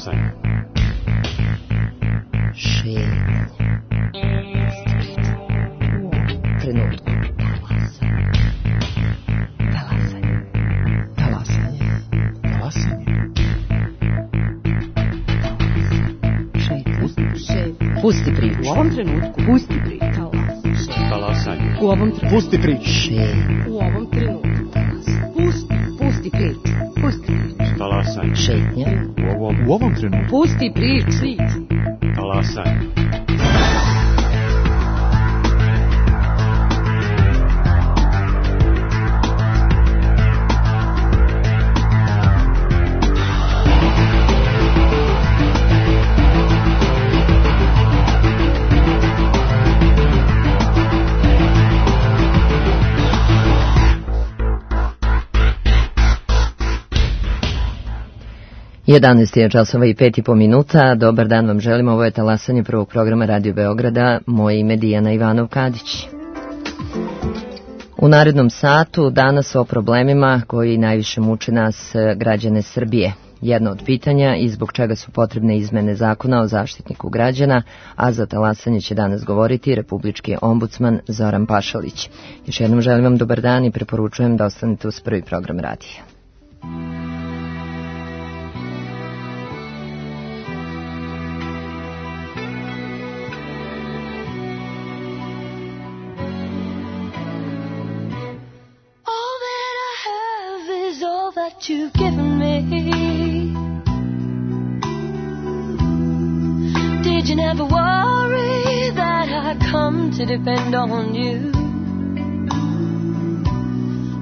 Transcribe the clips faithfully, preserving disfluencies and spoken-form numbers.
Talasanje. Šetnje. Trenutku. Talasanje. Talasanje. Talasanje. Šetnje. Pusti priču. U ovom trenutku. Pusti priču. Talasanje. U ovom trenutku. Pusti priču. Šetnje. U ovom trenutku. Pusti. Pusti priču. Pusti priču. Talasanje. Šetnje. U ovom, u ovom trenutku. Pusti priču. Talasanje. jedanaest je časova i pet i po minuta. Dobar dan vam želimo. Ovo je Talasanje prvog programa Radio Beograda. Moje ime Dijana Ivanov-Kadić. U narednom satu danas o problemima koji najviše muče nas, građane Srbije. Jedno od pitanja i zbog čega su potrebne izmene zakona o zaštitniku građana, a za Talasanje će danas govoriti republički ombudsman Zoran Pašalić. Još jednom želim vam dobar dan i preporučujem da ostanete uz prvi program radija. You've given me. Did you never worry that I come to depend on you?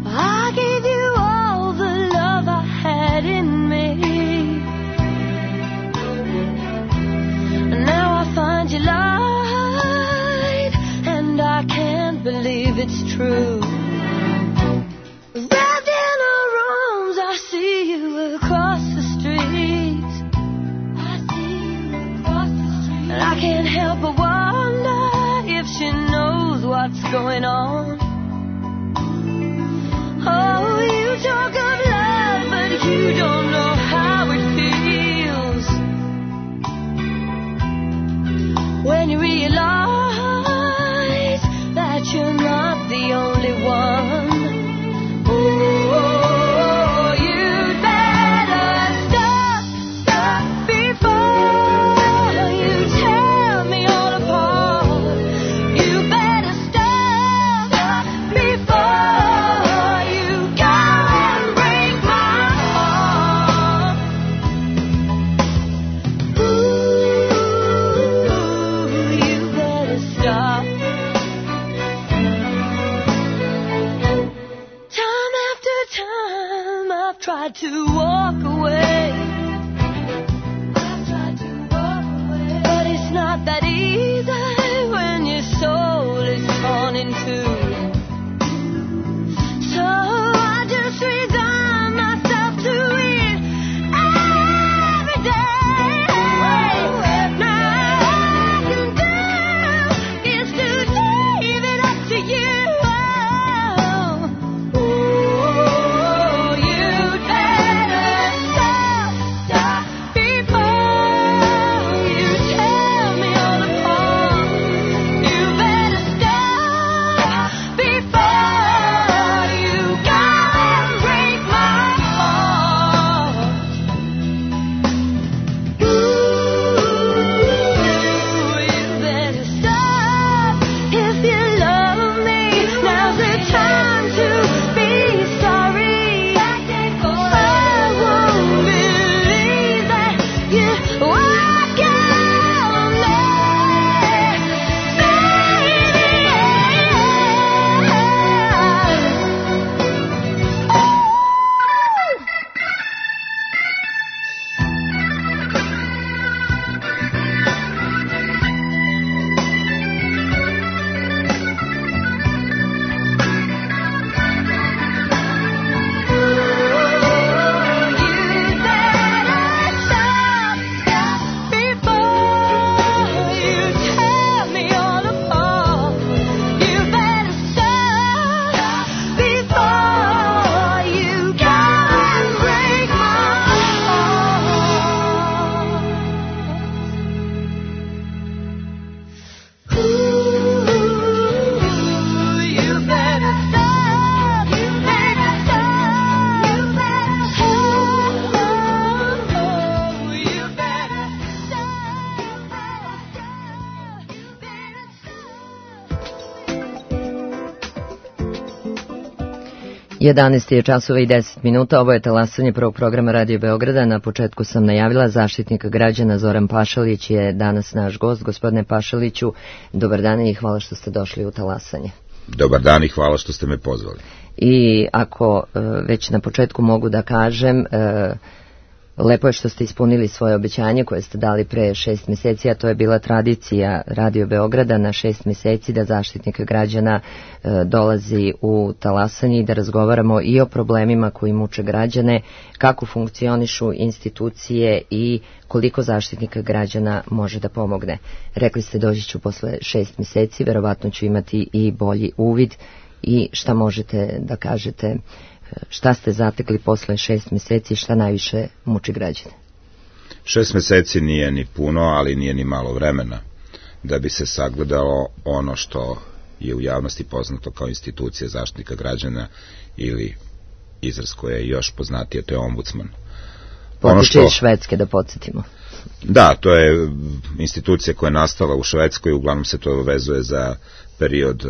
I gave you all the love I had in me, and now I find you lied, and I can't believe it's true. But wonder if she knows what's going on. Oh, you talk of love, but you don't know how it feels when you realize that you're not the only one. Oh, you'd better stop, stop before you tell me. Tried to walk away. I've tried to walk away. But it's not that easy when your soul is torn in two. So I just resign myself to it every day. Now all I can do is to leave it up to you. Oh, you better stop. jedanaest je časova i deset minuta, ovo je talasanje prvog programa Radio Beograda. Na početku sam najavila, Zaštitnik građana Zoran Pašalić je danas naš gost. Gospodine Pašaliću, dobar dan i hvala što ste došli u talasanje. Dobar dan i hvala što ste me pozvali. I ako već na početku mogu da kažem, lepo je što ste ispunili svoje obećanje koje ste dali pre šest mjeseci, a to je bila tradicija Radio Beograda na šest mjeseci da Zaštitnik građana dolazi u talasanje i da razgovaramo i o problemima koji muče građane, kako funkcionišu institucije i koliko Zaštitnika građana može da pomogne. Rekli ste doći ću posle šest mjeseci, verovatno ću imati i bolji uvid i šta možete da kažete, šta ste zatekli posle šest mjeseci, šta najviše muči građane? Šest mjeseci nije ni puno, ali nije ni malo vremena da bi se sagledalo ono što je u javnosti poznato kao institucija Zaštitnika građana ili izraz koje je još poznatije, to je ombudsman. Potiče što... iz Švedske, da podsjetimo. Da, to je institucija koja je nastala u Švedskoj, uglavnom se to vezuje za period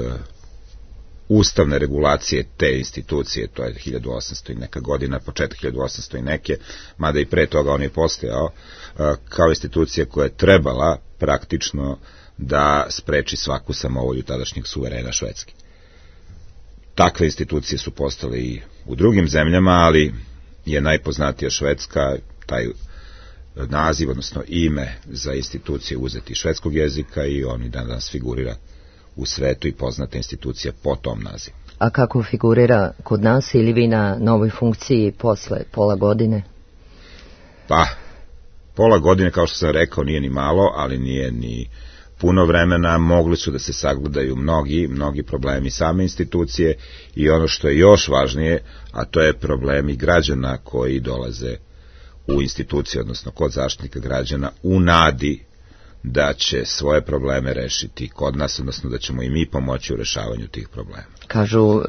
ustavne regulacije te institucije, to je hiljadu osamsto i neka godina, početak hiljadu osamsto i neke, mada i pre toga on je postojao, kao institucija koja je trebala praktično da spreči svaku samovolju tadašnjeg suverena Švedske. Takve institucije su postale i u drugim zemljama, ali je najpoznatija Švedska, taj naziv, odnosno ime za institucije uzeti švedskog jezika i on i danas figurira u svetu i poznata institucija po tom nazivu. A kako figurira kod nas ili vi na novoj funkciji posle pola godine? Pa, pola godine, kao što sam rekao, nije ni malo, ali nije ni puno vremena. Mogli su da se sagledaju mnogi, mnogi problemi same institucije i ono što je još važnije, a to je problemi građana koji dolaze u instituciju, odnosno kod Zaštitnika građana, u nadi da će svoje probleme rešiti kod nas, odnosno da ćemo i mi pomoći u rešavanju tih problema. Kažu, um,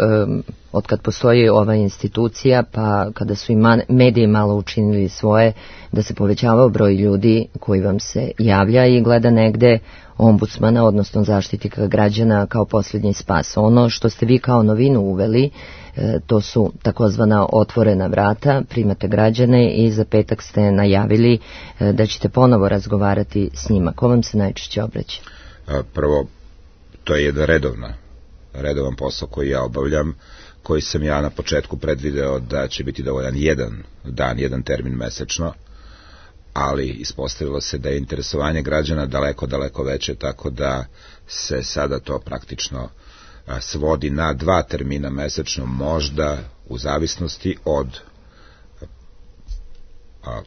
od kad postoji ova institucija, pa kada su i man, mediji malo učinili svoje, da se povećavao broj ljudi koji vam se javlja i gleda negde ombudsmana, odnosno Zaštitnika građana kao posljednji spas. Ono što ste vi kao novinu uveli, e, to su takozvana otvorena vrata, primate građane i za petak ste najavili e, da ćete ponovo razgovarati s njima. Ko vam se najčešće obraća? Prvo, to je jedan redovna, redovan posao koji ja obavljam, koji sam ja na početku predvideo da će biti dovoljan jedan dan, jedan termin mesečno, ali ispostavilo se da je interesovanje građana daleko, daleko veće, tako da se sada to praktično svodi na dva termina mesečno, možda u zavisnosti od,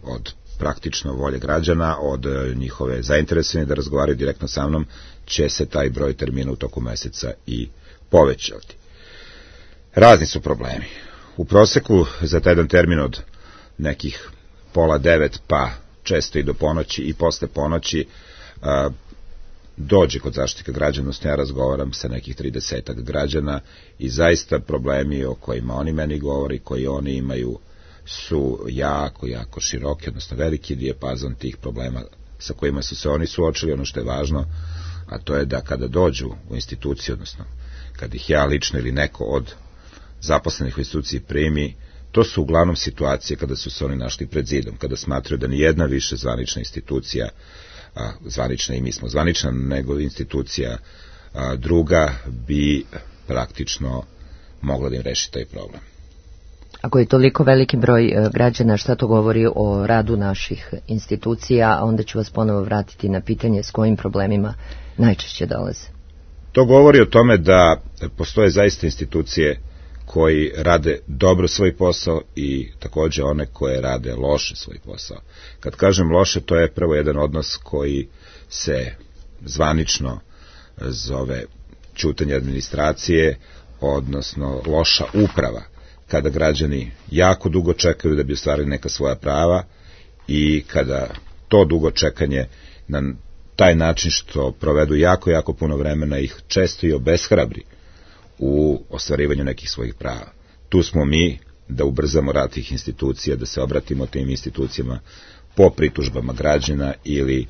od praktično volje građana, od njihove zainteresovanja da razgovaraju direktno sa mnom, će se taj broj termina u toku meseca i povećati. Razni su problemi. U proseku za taj jedan termin od nekih pola devet pa često i do ponoći i posle ponoći a, dođe kod Zaštitnika građana, odnosno ja razgovaram sa nekih tridesetak građana i zaista problemi o kojima oni meni govori, koji oni imaju, su jako, jako široki, odnosno veliki dijapazon tih problema sa kojima su se oni suočili. Ono što je važno, a to je da kada dođu u instituciju, odnosno kad ih ja lično ili neko od zaposlenih u instituciji primi, to su uglavnom situacije kada su se oni našli pred zidom, kada smatraju da nijedna više zvanična institucija, a, zvanična i mi smo zvanična, nego institucija a, druga bi praktično mogla da im reši taj problem. Ako je toliko veliki broj građana, šta to govori o radu naših institucija, a onda ću vas ponovo vratiti na pitanje s kojim problemima najčešće dolaze. To govori o tome da postoje zaista institucije koji rade dobro svoj posao i takođe one koje rade loše svoj posao. Kad kažem loše, to je prvo jedan odnos koji se zvanično zove ćutanje administracije, odnosno loša uprava, kada građani jako dugo čekaju da bi ostvarili neka svoja prava i kada to dugo čekanje na taj način što provedu jako, jako puno vremena ih često i obeshrabri u ostvarivanju nekih svojih prava. Tu smo mi da ubrzamo rad tih institucija, da se obratimo tim institucijama po pritužbama građana ili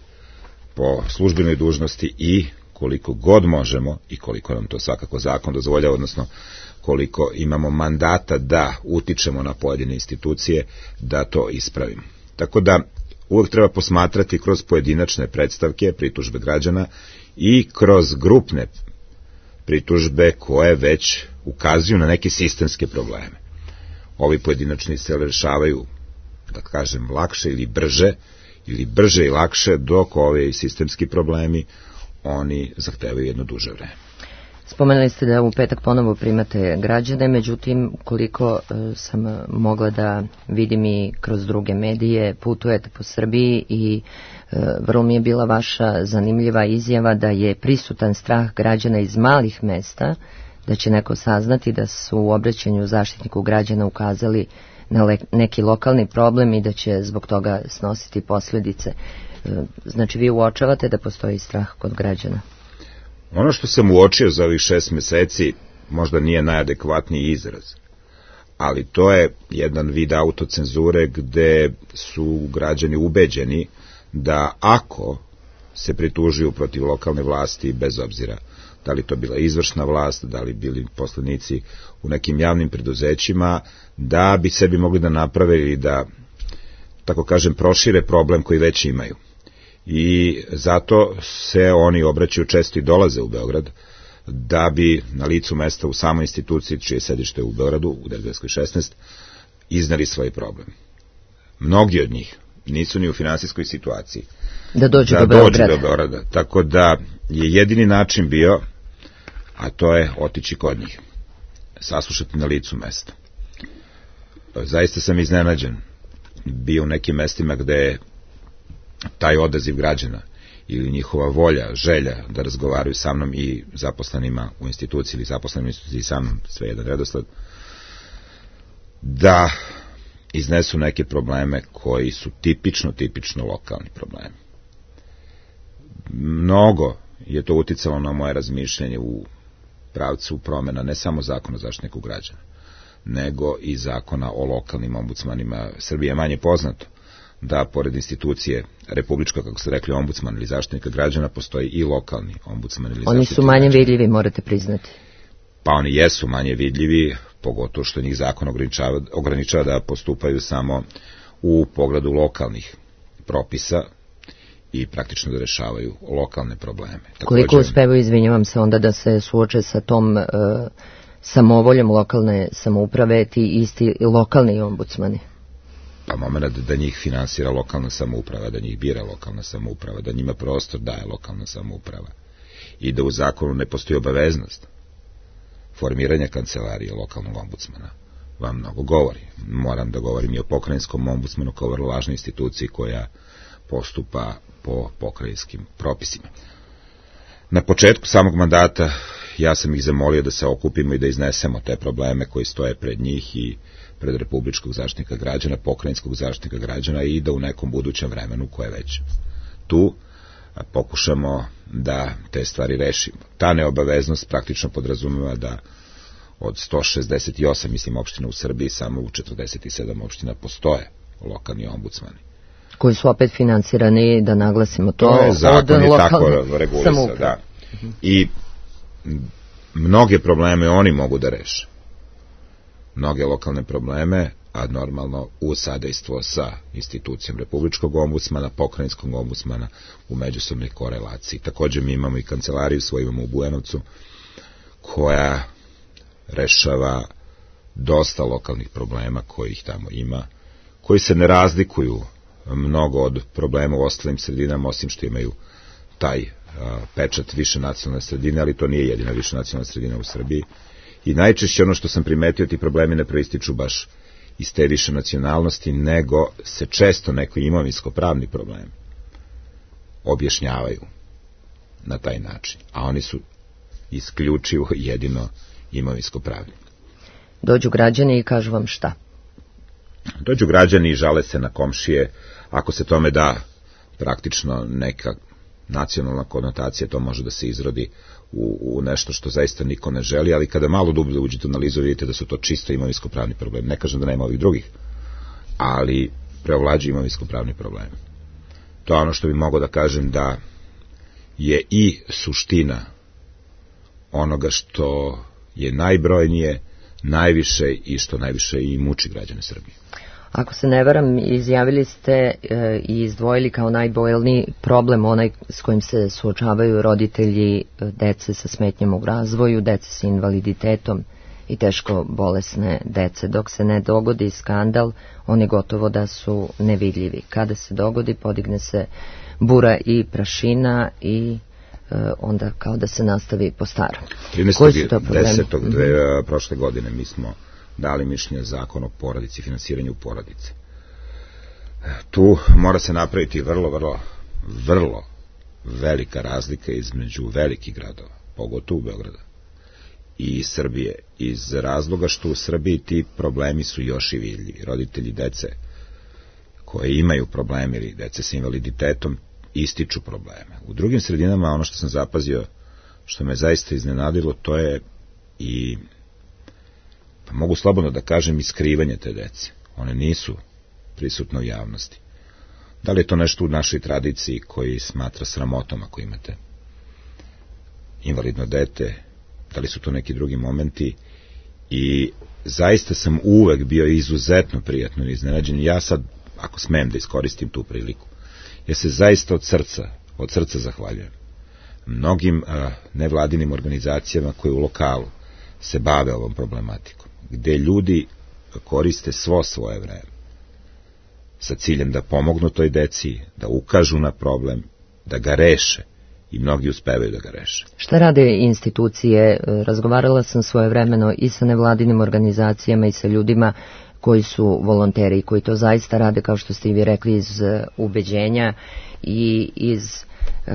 po službenoj dužnosti i koliko god možemo i koliko nam to svakako zakon dozvoljava, odnosno koliko imamo mandata da utičemo na pojedine institucije, da to ispravimo. Tako da uvek treba posmatrati kroz pojedinačne predstavke, pritužbe građana i kroz grupne pritužbe koje već ukazuju na neke sistemske probleme. Ovi pojedinačni se rešavaju, da kažem, lakše ili brže, ili brže i lakše, dok ovi sistemski problemi, oni zahtevaju jedno duže vreme. Spomenuli ste da u petak ponovo primate građane, međutim, koliko e, sam mogla da vidim i kroz druge medije, putujete po Srbiji i e, vrlo mi je bila vaša zanimljiva izjava da je prisutan strah građana iz malih mesta, da će neko saznati da su u obraćanju Zaštitniku građana ukazali na le, neki lokalni problem i da će zbog toga snositi posljedice. E, znači, vi uočavate da postoji strah kod građana? Ono što sam uočio za ovih šest meseci možda nije najadekvatniji izraz, ali to je jedan vid autocenzure gde su građani ubeđeni da ako se pritužuju protiv lokalne vlasti, bez obzira da li to bila izvršna vlast, da li bili poslanici u nekim javnim preduzećima, da bi sebi mogli da naprave ili da, tako kažem, prošire problem koji već imaju. I zato se oni obraćaju, često i dolaze u Beograd, da bi na licu mesta u samoj instituciji, čije sedište u Beogradu, u Dergajevskoj šesnaest, iznali svoj problem. Mnogi od njih nisu ni u finansijskoj situaciji da dođu da do Beograda. dođu do Beograda. Tako da je jedini način bio, a to je otići kod njih, saslušati na licu mesta. Zaista sam iznenađen bio u nekim mestima gde je taj odaziv građana ili njihova volja, želja da razgovaraju sa mnom i zaposlenima u instituciji ili zaposlenima u instituciji sa mnom, sve jedan redosled, da iznesu neke probleme koji su tipično, tipično lokalni problemi. Mnogo je to uticalo na moje razmišljanje u pravcu promena ne samo zakona o Zaštitniku građana, nego i zakona o lokalnim ombudsmanima. Srbije je manje poznato da pored institucije republička, kako ste rekli, ombudsman ili Zaštitnika građana, postoji i lokalni ombudsman ili Oni su manje građana. Vidljivi, morate priznati. Pa oni jesu manje vidljivi, pogotovo što njih zakon ograničava, ograničava da postupaju samo u pogledu lokalnih propisa i praktično da rešavaju lokalne probleme. Također, koliko uspevaju, izvinjavam se, onda da se suoče sa tom e, samovoljom lokalne samouprave, ti isti lokalni ombudsmani? Pa moment da njih finansira lokalna samouprava, da njih bira lokalna samouprava, da njima prostor daje lokalna samouprava i da u zakonu ne postoji obaveznost formiranja kancelarije lokalnog ombudsmana, vam mnogo govori. Moram da govorim i o pokrajinskom ombudsmanu kao vrlo važnoj instituciji koja postupa po pokrajinskim propisima. Na početku samog mandata ja sam ih zamolio da se okupimo i da iznesemo te probleme koji stoje pred njih i pred Republičkog zaštitnika građana, pokrajinskog zaštitnika građana i da u nekom budućem vremenu koje je već tu pokušamo da te stvari rešimo. Ta neobaveznost praktično podrazumeva da od sto šezdeset osam, mislim, opština u Srbiji, samo u četrdeset sedam opština postoje lokalni ombudsmani. Koji su opet finansirani, da naglasimo to, to je zakon od je lokalne tako regulisao, da. I mnoge probleme oni mogu da reše. Mnoge lokalne probleme, a normalno u sadejstvo sa institucijom Republičkog ombudsmana, pokrajinskog ombudsmana u međusobnoj korelaciji. Također mi imamo i kancelariju svoju, imamo u Bujanovcu, koja rešava dosta lokalnih problema kojih tamo ima, koji se ne razlikuju mnogo od problema u ostalim sredinama, osim što imaju taj a, pečat više nacionalne sredine, ali to nije jedina više nacionalna sredina u Srbiji. I najčešće ono što sam primetio, ti problemi ne proističu baš iz te više nacionalnosti, nego se često neko imovinsko-pravni problem objašnjavaju na taj način, a oni su isključivo jedino imovinsko-pravni. Dođu građani i kažu vam šta? Dođu građani i žale se na komšije, ako se tome da praktično neka nacionalna konotacija, to može da se izrodi u, u nešto što zaista niko ne želi, ali kada malo dublje uđete u analizu, vidite da su to čisto imovinsko-pravni problemi. Ne kažem da nema ovih drugih, ali preovlađuju imovinsko-pravni problemi. To je ono što bi mogao da kažem da je i suština onoga što je najbrojnije, najviše i što najviše i muči građane Srbije. Ako se ne varam, izjavili ste e, i izdvojili kao najbolniji problem onaj s kojim se suočavaju roditelji e, dece sa smetnjama u razvoju, dece sa invaliditetom i teško bolesne dece. Dok se ne dogodi skandal, oni gotovo da su nevidljivi. Kada se dogodi, podigne se bura i prašina i e, onda kao da se nastavi po starom. Koji su to problemi? trinaestog desetog Mm-hmm. prošle godine mi smo dali mišljenje zakon o porodici, finansiranju porodice. Tu mora se napraviti vrlo, vrlo, vrlo velika razlika između velikih gradova, pogotovo Beograda, i Srbije, iz razloga što u Srbiji ti problemi su još i vidljivi. Roditelji dece koje imaju probleme ili dece sa invaliditetom ističu probleme. U drugim sredinama ono što sam zapazio, što me zaista iznenadilo, to je i, pa mogu slobodno da kažem, iskrivanje te dece. One nisu prisutne u javnosti. Da li je to nešto u našoj tradiciji koji smatra sramotom ako imate invalidno dete, da li su to neki drugi momenti, i zaista sam uvek bio izuzetno prijatno iznenađen. Ja sad, ako smem da iskoristim tu priliku, ja se zaista od srca, od srca zahvaljujem mnogim a, nevladinim organizacijama koje u lokalu se bave ovom problematikom, gde ljudi koriste svo svoje vreme sa ciljem da pomognu toj deci, da ukažu na problem, da ga reše, i mnogi uspevaju da ga reše. Šta rade institucije? Razgovarala sam svojevremeno i sa nevladinim organizacijama i sa ljudima koji su volonteri i koji to zaista rade, kao što ste i vi rekli, iz ubeđenja i iz uh,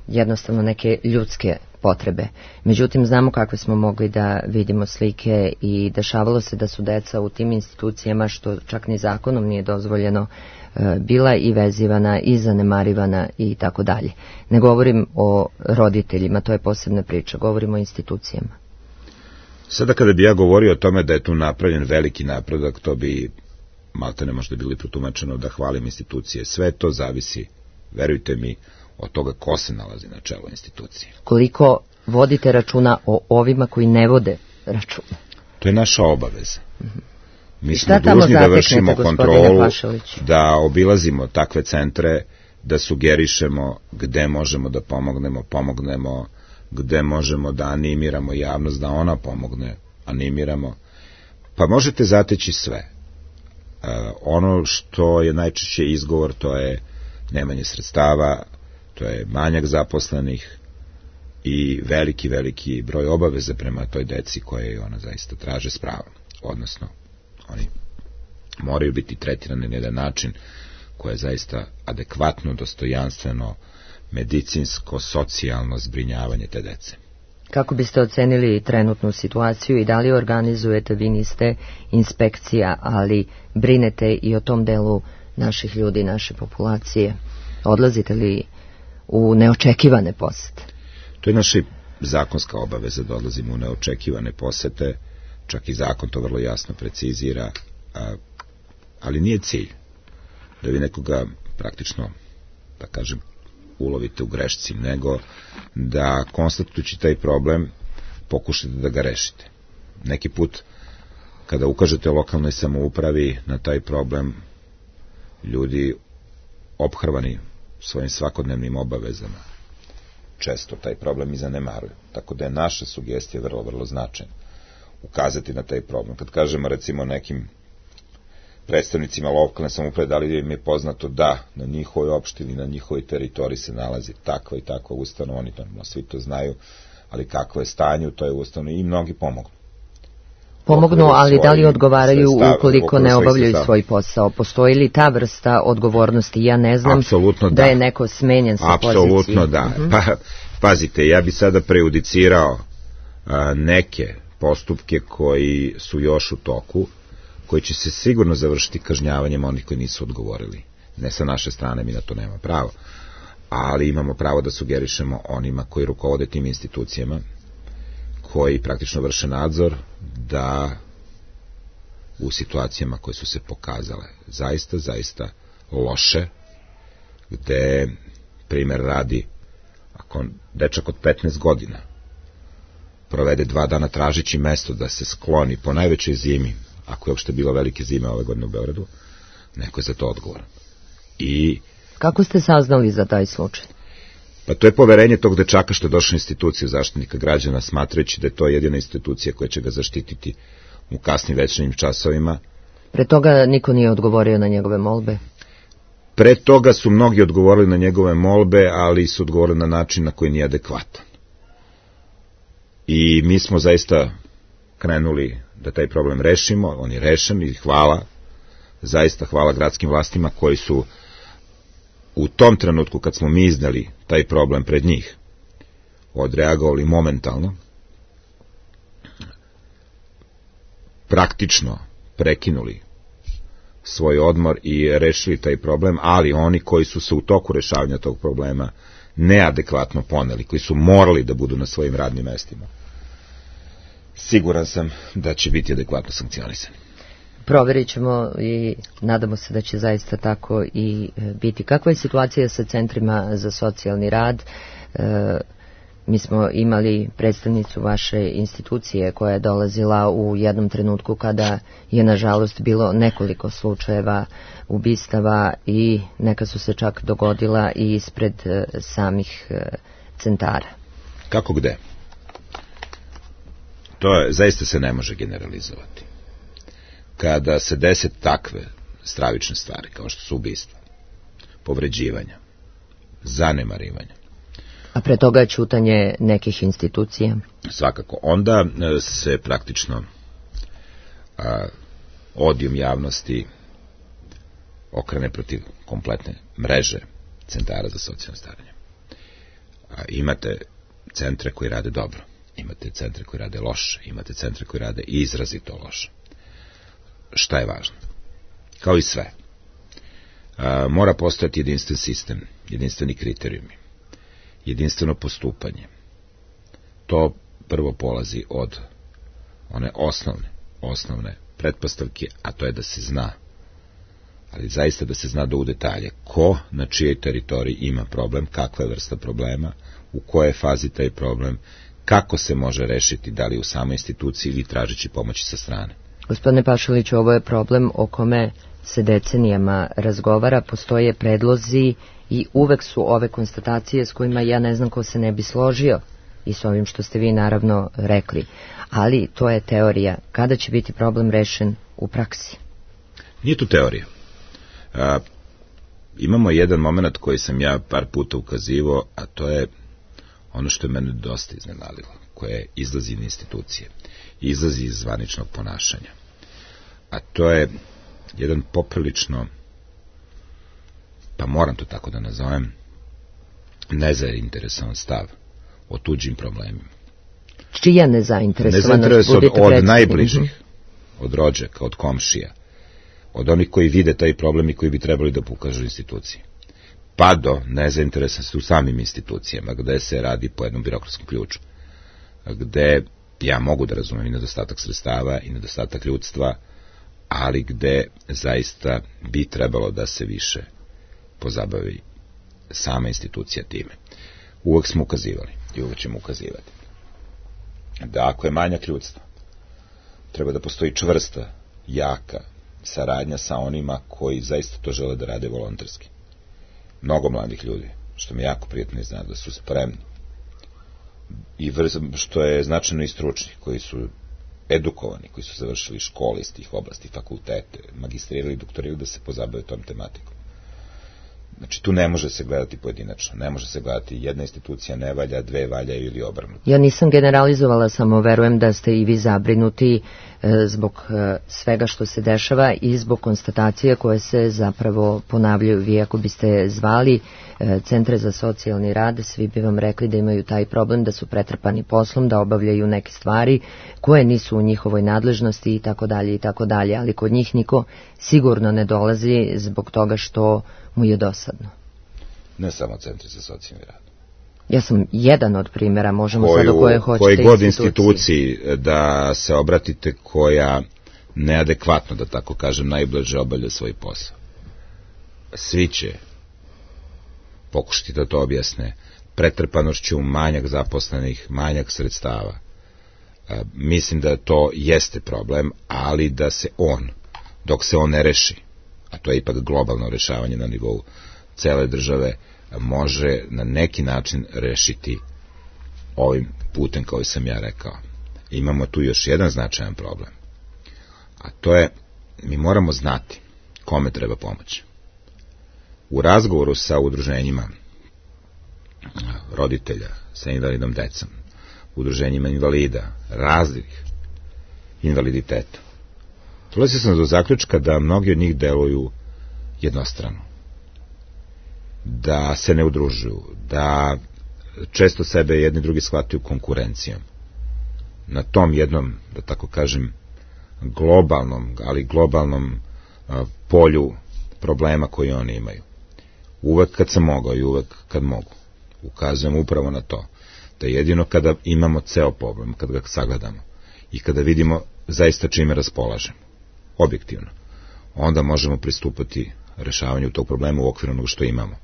jednostavno neke ljudske potrebe. Međutim, znamo kakve smo mogli da vidimo slike i dešavalo se da su deca u tim institucijama, što čak ni zakonom nije dozvoljeno, bila i vezivana i zanemarivana i tako dalje. Ne govorim o roditeljima, to je posebna priča, govorim o institucijama. Sada kada bi ja govorio o tome da je tu napravljen veliki napredak, to bi maltene možda bili protumačeno da hvalim institucije. Sve to zavisi, verujte mi, od toga ko se nalazi na čelu institucije. Koliko vodite računa o ovima koji ne vode računa? To je naša obaveza. Mm-hmm. Mi smo dužni da vršimo kontrolu, da obilazimo takve centre, da sugerišemo gde možemo da pomognemo, pomognemo, gde možemo da animiramo javnost, da ona pomogne, animiramo. Pa možete zateći sve. E, ono što je najčešće izgovor, to je nemanje sredstava, to je manjak zaposlenih i veliki, veliki broj obaveze prema toj deci koje ona zaista traže s pravom. Odnosno, oni moraju biti tretirani na jedan način koje je zaista adekvatno, dostojanstveno, medicinsko, socijalno zbrinjavanje te dece. Kako biste ocenili trenutnu situaciju i da li organizujete, vi niste inspekcija, ali brinete i o tom delu naših ljudi, naše populacije? Odlazite li u neočekivane posete? To je naša zakonska obaveza da odlazimo u neočekivane posete, čak i zakon to vrlo jasno precizira, a, ali nije cilj da vi nekoga praktično, da kažem, ulovite u grešci, nego da konstatujući taj problem pokušate da ga rešite. Neki put kada ukažete lokalnoj samoupravi na taj problem, ljudi ophrvani svojim svakodnevnim obavezama često taj problem i zanemaruju. Tako da je naša sugestija vrlo, vrlo značajna. Ukazati na taj problem. Kad kažemo recimo nekim predstavnicima lokalne samouprave, da li im je poznato da na njihovoj opštini, na njihovoj teritoriji se nalazi takva i takva ustanova, oni to, svi to znaju, ali kakvo je stanje u toj ustanovi, i mnogi pomognu. Pomognu, ali da li odgovaraju ukoliko ne obavljaju svoj posao? Postoji li ta vrsta odgovornosti? Ja ne znam da. da je neko smenjen sa pozicije. Apsolutno da. Uh-huh. Pa, pazite, ja bi sada prejudicirao a, neke postupke koji su još u toku, koji će se sigurno završiti kažnjavanjem onih koji nisu odgovorili. Ne sa naše strane, mi na to nema pravo, ali imamo pravo da sugerišemo onima koji rukovode tim institucijama, koji praktično vrše nadzor, da u situacijama koje su se pokazale zaista, zaista loše, gde primer radi, ako dečak od petnaest godina provede dva dana tražići mesto da se skloni po najvećoj zimi, ako je uopšte bilo velike zime ove godine u Beogradu, neko je za to odgovoran. I Kako ste saznali za taj slučaj? pa to je poverenje tog dečaka što je došao u instituciju Zaštitnika građana, smatrajući da je to jedina institucija koja će ga zaštititi u kasnim večernjim časovima. Pre toga niko nije odgovorio na njegove molbe? Pre toga su mnogi odgovorili na njegove molbe, ali su odgovorili na način na koji nije adekvatan. I mi smo zaista krenuli da taj problem rešimo, on je rešen i hvala, zaista hvala gradskim vlastima koji su u tom trenutku kad smo mi iznali taj problem pred njih, odreagovali momentalno, praktično prekinuli svoj odmor i rešili taj problem, ali oni koji su se u toku rešavanja tog problema neadekvatno poneli, koji su morali da budu na svojim radnim mestima, siguran sam da će biti adekvatno sankcionisani. Proverit ćemo i nadamo se da će zaista tako i biti. Kakva je situacija sa centrima za socijalni rad? E, mi smo imali predstavnicu vaše institucije koja je dolazila u jednom trenutku kada je nažalost bilo nekoliko slučajeva ubistava i neka su se čak dogodila i ispred e, samih e, centara. Kako gde? To je, zaista se ne može generalizovati. Kada se dese takve stravične stvari, kao što su ubistva, povređivanja, zanemarivanja, A pre toga je ćutanje nekih institucija? Svakako. Onda se praktično a, odijum javnosti okrene protiv kompletne mreže centara za socijalno staranje. A, imate centre koji rade dobro, imate centre koji rade loše, imate centre koji rade izrazito loše. Šta je važno? Kao i sve. A, mora postojati jedinstven sistem, jedinstveni kriterijumi, jedinstveno postupanje. To prvo polazi od one osnovne, osnovne pretpostavke, a to je da se zna, ali zaista da se zna do u detalje ko na čijoj teritoriji ima problem, kakva je vrsta problema, u kojoj fazi taj problem, kako se može rešiti, da li u samoj instituciji ili tražeći pomoći sa strane. Gospodine Pašaliću, ovo je problem o kome se decenijama razgovara, postoje predlozi i uvek su ove konstatacije s kojima ja ne znam ko se ne bi složio i s ovim što ste vi naravno rekli, ali to je teorija. Kada će biti problem rešen u praksi? Nije to teorija. A, imamo jedan moment koji sam ja par puta ukazivao, a to je ono što je mene dosta iznenadilo, koje izlazi iz institucije, izlazi iz zvaničnog ponašanja. A to je jedan poprilično, pa moram to tako da nazovem, nezainteresovan stav o tuđim problemima. Čija nezainteresovanost? Nezainteresovan od, od najbližih, od rođaka, od komšija, od onih koji vide taj problem i koji bi trebali da pokažu instituciji. Pa do nezainteresovanosti u samim institucijama, gde se radi po jednom birokratskom ključu, gde ja mogu da razumem i nedostatak sredstava i nedostatak ljudstva, ali gde zaista bi trebalo da se više pozabavi sama institucija time. Uvek smo ukazivali i uvek ćemo ukazivati da ako je manjak ljudstva, treba da postoji čvrsta, jaka saradnja sa onima koji zaista to žele da rade volonterski. Mnogo mladih ljudi, što mi jako prijatno zna, da su spremni i što je značajno i stručni, koji su edukovani, koji su završili škole iz tih oblasti, fakultete, magistrirali, doktorirali, da se pozabave tom tematikom. Znači, tu ne može se gledati pojedinačno, ne može se gledati jedna institucija ne valja, dve valjaju ili obrnuto. Ja nisam generalizovala, samo verujem da ste i vi zabrinuti e, zbog e, svega što se dešava i zbog konstatacije koje se zapravo ponavljaju. Vi ako biste zvali e, centre za socijalni rad, svi bi vam rekli da imaju taj problem, da su pretrpani poslom, da obavljaju neke stvari koje nisu u njihovoj nadležnosti i tako dalje i tako dalje, ali kod njih niko sigurno ne dolazi zbog toga što mu je dosadno. Ne samo centri za socijalni rad. Ja sam jedan od primjera, možemo sad do koje hoćete koji god instituciji da se obratite koja neadekvatno, da tako kažem, najblaže obavlja svoj posao. Svi će pokušati da to objasne pretrpanošću, manjak zaposlenih, manjak sredstava, Mislim da to jeste problem, ali da se on, dok se on ne reši, a to je ipak globalno rešavanje na nivou cele države, može na neki način rešiti ovim putem koji sam ja rekao. Imamo tu još jedan značajan problem, a to je, mi moramo znati kome treba pomoći. U razgovoru sa udruženjima roditelja sa invalidnom decom, udruženjima invalida, raznih invaliditeta, dolazio sam do zaključka da mnogi od njih deluju jednostrano, da se ne udružuju, da često sebe jedni drugi shvataju konkurencijom. Na tom jednom, da tako kažem, globalnom, ali globalnom a, polju problema koji oni imaju. Uvek kad sam mogao i uvek kad mogu, ukazujem upravo na to, da jedino kada imamo ceo problem, kada ga sagledamo i kada vidimo zaista čime raspolažemo, objektivno, onda možemo pristupati rešavanju tog problema u okviru onog što imamo.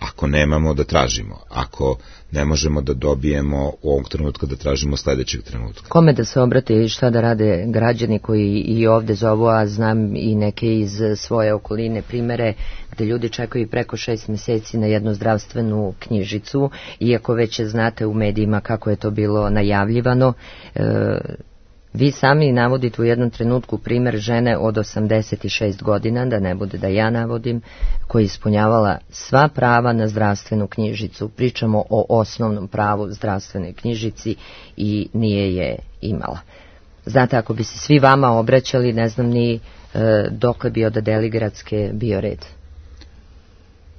Ako nemamo, da tražimo. Ako ne možemo da dobijemo u ovom trenutku, da tražimo sledećeg trenutka. Kome da se obrate i šta da rade građani koji i ovde zovu, a znam i neke iz svoje okoline primere gde ljudi čekaju preko šest meseci na jednu zdravstvenu knjižicu, iako već znate u medijima kako je to bilo najavljivano. E, Vi sami navodite u jednom trenutku primer žene od osamdeset šest godina, da ne bude da ja navodim, koja je ispunjavala sva prava na zdravstvenu knjižicu. Pričamo o osnovnom pravu zdravstvenoj knjižici i nije je imala. Znate, ako bi se svi vama obraćali, ne znam ni e, dokle bi od Deligradske bio red.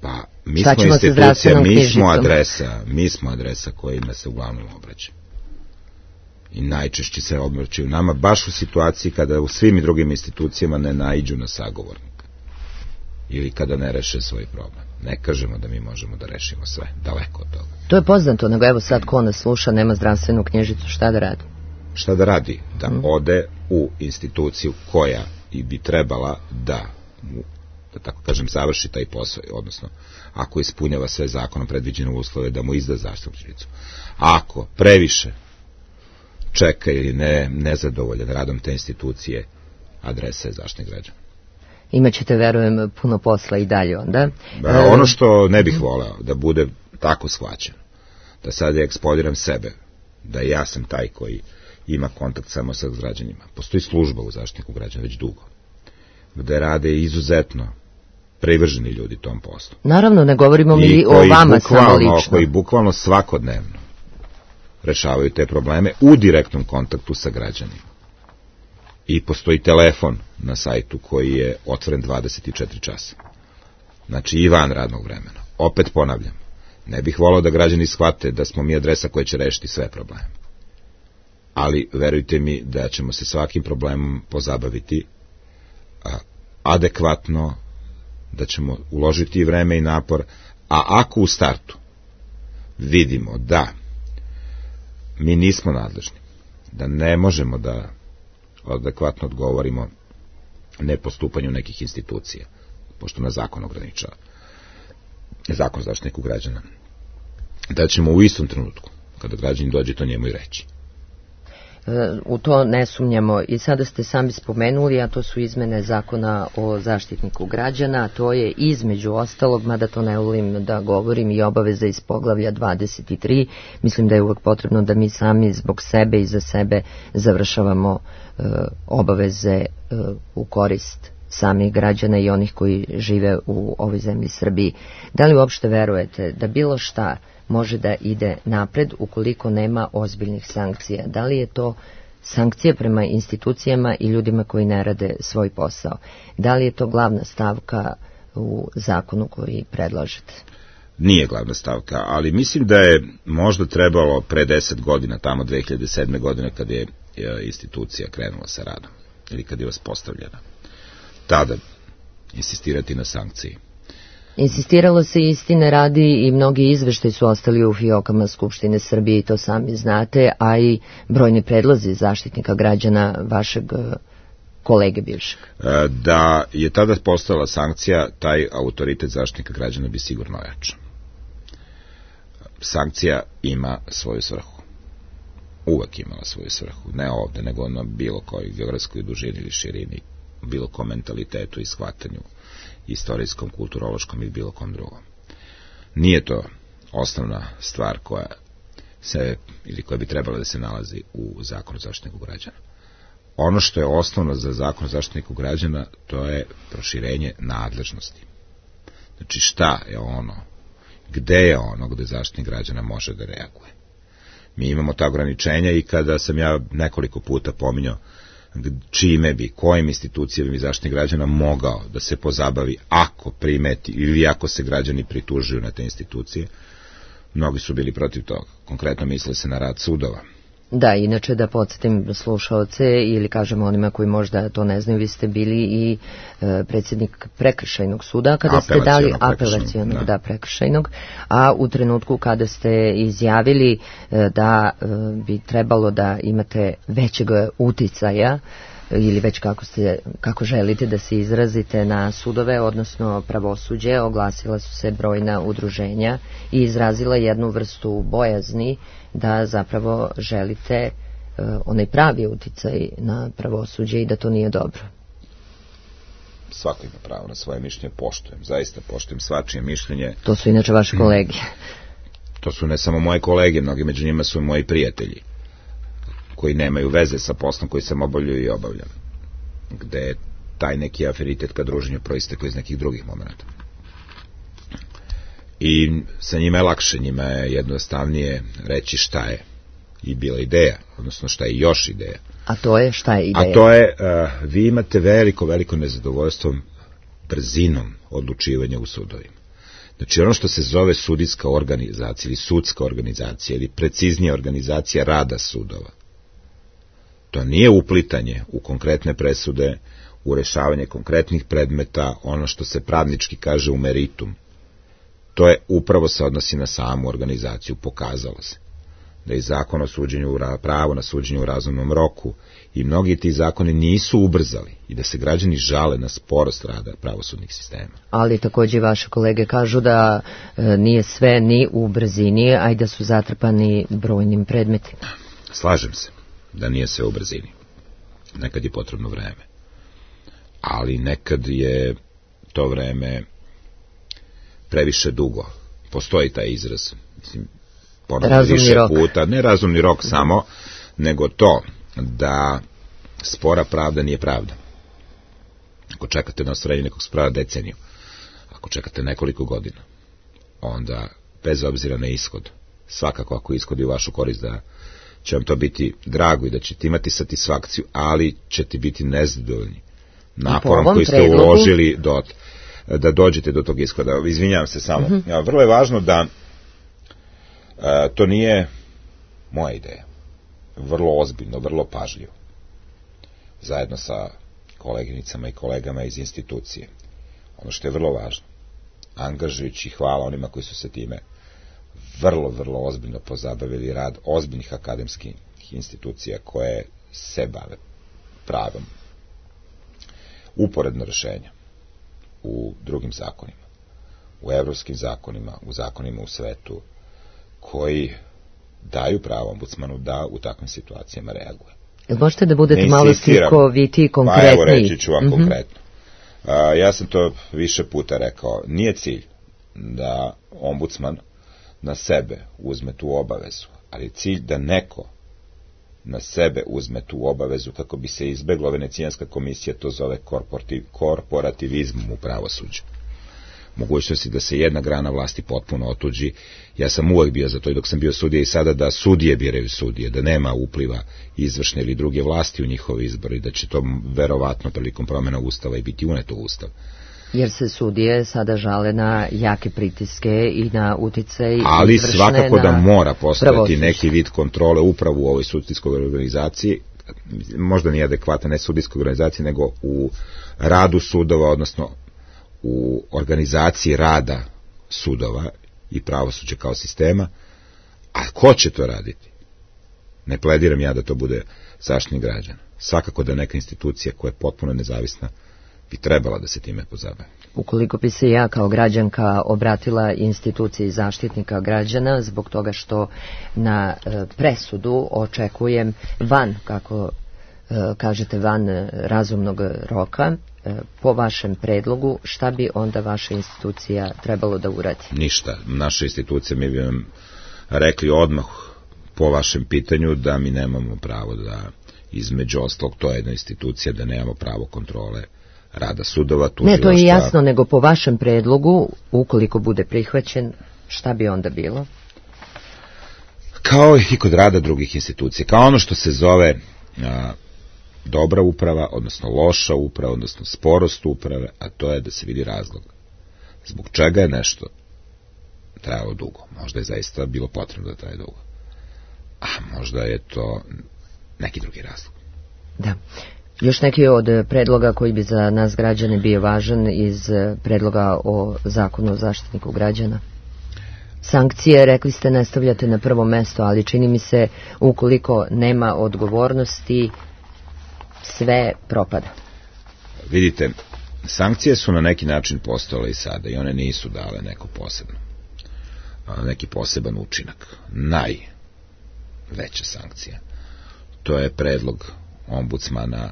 Pa, mi smo institucija, mi smo adresa, mi smo adresa kojima se uglavnom obraća. I najčešće se obraćaju nama baš u situaciji kada u svim i drugim institucijama ne naiđu na sagovornika ili kada ne reše svoj problem. Ne kažemo da mi možemo da rešimo sve, daleko od toga. To je poznato, nego evo sad ko nas sluša, nema zdravstvenu knjižicu, šta da radi? Šta da radi? Da mm. ode u instituciju koja i bi trebala da, da tako kažem, završi taj posao, odnosno ako ispunjava sve zakonom predviđene uslove da mu izda zdravstvenu knjižicu. Ako previše čeka ili ne, nezadovoljan radom te institucije, adresa je Zaštitnik građana. Imaćete, verujem, puno posla i dalje onda. Ba, ono što ne bih voleo, da bude tako shvaćeno, da sad ja ekspoliram sebe, da ja sam taj koji ima kontakt samo sa građanima. Postoji služba u Zaštitniku građana već dugo, gde rade izuzetno privrženi ljudi tom poslu. Naravno, ne govorimo mi o vama samo lično. Koji bukvalno svakodnevno rešavaju te probleme u direktnom kontaktu sa građanima. I postoji telefon na sajtu koji je otvoren dvadeset četiri časa. Znači i van radnog vremena. Opet ponavljam, ne bih volao da građani shvate da smo mi adresa koja će rešiti sve probleme. Ali verujte mi da ćemo se svakim problemom pozabaviti a, adekvatno, da ćemo uložiti vreme i napor, a ako u startu vidimo da mi nismo nadležni, da ne možemo da adekvatno odgovorimo nepostupanju nekih institucija, pošto nas zakon ograničava, zakon Zaštitniku građana, da ćemo u istom trenutku, kada građani dođe, to njemu i reći. U to ne sumnjamo. I sada ste sami spomenuli, a to su izmene zakona o Zaštitniku građana, a to je između ostalog, mada to ne volim da govorim, i obaveza iz poglavlja dvadeset tri. Mislim da je uvek potrebno da mi sami zbog sebe i za sebe završavamo e, obaveze e, u korist samih građana i onih koji žive u ovoj zemlji Srbiji. Da li uopšte verujete da bilo šta može da ide napred ukoliko nema ozbiljnih sankcija? Da li je to sankcije prema institucijama i ljudima koji ne rade svoj posao? Da li je to glavna stavka u zakonu koji predlažete? Nije glavna stavka, ali mislim da je možda trebalo pre deset godina, tamo dve hiljade sedme godine, kad je institucija krenula sa radom, ili kad je uspostavljena, tada insistirati na sankciji. Insistiralo se, istine radi, i mnogi izveštaji su ostali u fiokama Skupštine Srbije i to sami znate, a i brojni predlozi Zaštitnika građana vašeg kolege bivšeg. Da je tada postala sankcija, taj autoritet Zaštitnika građana bi sigurno ojačao. Sankcija ima svoju svrhu. uvek imala svoju svrhu, ne ovde, nego na bilo kojoj geografskoj dužini ili širini, bilo kom mentalitetu i shvatanju, istorijskom, kulturološkom i bilo kom drugom. Nije to osnovna stvar koja se, ili koja bi trebala da se nalazi u Zakonu o Zaštitniku građana. Ono što je osnovno za Zakon o Zaštitniku građana, to je proširenje nadležnosti. Znači šta je ono, gde je ono gde Zaštitnik građana može da reaguje. Mi imamo ta ograničenja i kada sam ja nekoliko puta pominjao čime bi, kojim institucijama bi Zaštitnik građana mogao da se pozabavi ako primeti ili ako se građani pritužuju na te institucije, mnogi su bili protiv toga. Konkretno misle se na rad sudova. Da, inače da podsjetim slušaoce ili kažemo onima koji možda to ne znaju, vi ste bili i e, predsjednik prekršajnog suda kada ste dali apelacionog, da. da, prekršajnog, a u trenutku kada ste izjavili e, da e, bi trebalo da imate većeg uticaja ili već kako, ste, kako želite da se izrazite na sudove, odnosno pravosuđe, oglasila su se brojna udruženja i izrazila jednu vrstu bojazni da zapravo želite uh, onaj pravi uticaj na pravosuđe i da to nije dobro. Svako ima pravo na svoje mišljenje, poštujem, zaista poštujem svačije mišljenje. To su inače vaše kolege. To su ne samo moje kolege, mnogi među njima su moji prijatelji, koji nemaju veze sa poslom koji sam obavljaju i obavljam, gde je taj neki aferitet ka druženju proistekao iz nekih drugih momenta. I sa njima je lakše, njima je jednostavnije reći šta je i bila ideja, odnosno šta je još ideja. A to je šta je ideja? A to je, uh, vi imate veliko, veliko nezadovoljstvo brzinom odlučivanja u sudovima. Znači ono što se zove sudijska organizacija ili sudska organizacija ili preciznija organizacija rada sudova, to nije uplitanje u konkretne presude, u rešavanje konkretnih predmeta, ono što se pravnički kaže u meritum. To je upravo se odnosi na samu organizaciju. Pokazalo se da je zakon o suđenju, pravo na suđenje u razumnom roku i mnogi ti zakoni nisu ubrzali i da se građani žale na sporost rada pravosudnih sistema. Ali takođe vaše kolege kažu da e, nije sve ni u brzini, a i da su zatrpani brojnim predmetima. Slažem se da nije sve u brzini. Nekad je potrebno vreme. Ali nekad je to vreme previše dugo. Postoji taj izraz. Mislim, ponovno više rok. puta. Ne razumni rok samo, nego to da spora pravda nije pravda. Ako čekate na ostvarenje nekog spora deceniju, ako čekate nekoliko godina, onda bez obzira na ishod, svakako ako ishodi u vašu korist da će vam to biti drago i da ćete imati satisfakciju, ali ćete biti nezadovoljni naporom koji ste predlogu uložili do, da dođete do tog ishoda. Izvinjavam se samo. Uh-huh. Ja, vrlo je važno da a, to nije moja ideja. Vrlo ozbiljno, vrlo pažljivo. Zajedno sa koleginicama i kolegama iz institucije. Ono što je vrlo važno, angažujući hvala onima koji su se time vrlo, vrlo ozbiljno pozabavili rad ozbiljnih akademskih institucija koje se bave pravom. Uporedno rešenja u drugim zakonima, u evropskim zakonima, u zakonima u svetu, koji daju pravo ombudsmanu da u takvim situacijama reaguje. Jel možete da budete malo slikoviti i konkretniji? Pa evo reći ću vam mm-hmm. konkretno. A, ja sam to više puta rekao. Nije cilj da ombudsman na sebe uzme tu obavezu, ali je cilj da neko na sebe uzme tu obavezu kako bi se izbeglo. Venecijanska komisija to zove korporativizmom u pravosuđu. Mogućnosti da se jedna grana vlasti potpuno otuđi. Ja sam uvek bio za to i dok sam bio sudija i sada da sudije biraju sudije, da nema upliva izvršne ili druge vlasti u njihove izbore i da će to verovatno prilikom promjena ustava i biti uneto u ustav. Jer se sudije sada žale na jake pritiske i na uticaj izvršne. Ali svakako da mora postojati neki vid kontrole upravo u ovoj sudijskoj organizaciji, možda nije adekvatna, ne sudijskoj organizaciji, nego u radu sudova, odnosno u organizaciji rada sudova i pravosuđa kao sistema. A ko će to raditi? Ne plediram ja da to bude Zaštitnik građana. Svakako da neka institucija koja je potpuno nezavisna bi trebala da se time pozabave. Ukoliko bi se ja kao građanka obratila instituciji zaštitnika građana zbog toga što na e, presudu očekujem van, kako e, kažete, van razumnog roka, e, po vašem predlogu, šta bi onda vaša institucija trebalo da uradi? Ništa. Naša institucija, mi bi vam rekli odmah po vašem pitanju da mi nemamo pravo da, između ostalog, to je jedna institucija, da nemamo pravo kontrole rada sudova. Ne, to je jasno, nego po vašem predlogu, ukoliko bude prihvaćen, šta bi onda bilo? Kao i kod rada drugih institucija, kao ono što se zove a, dobra uprava, odnosno loša uprava, odnosno sporost uprave, a to je da se vidi razlog. Zbog čega je nešto trajalo dugo? Možda je zaista bilo potrebno da traje dugo. A možda je to neki drugi razlog. Da. Još neki od predloga koji bi za nas građane bio važan iz predloga o zakonu o zaštitniku građana? Sankcije, rekli ste, ne stavljate na prvo mesto, ali čini mi se ukoliko nema odgovornosti, sve propada. Vidite, sankcije su na neki način postojale i sada i one nisu dale neko posebno, neki poseban učinak. Najveća sankcija, to je predlog ombudsmana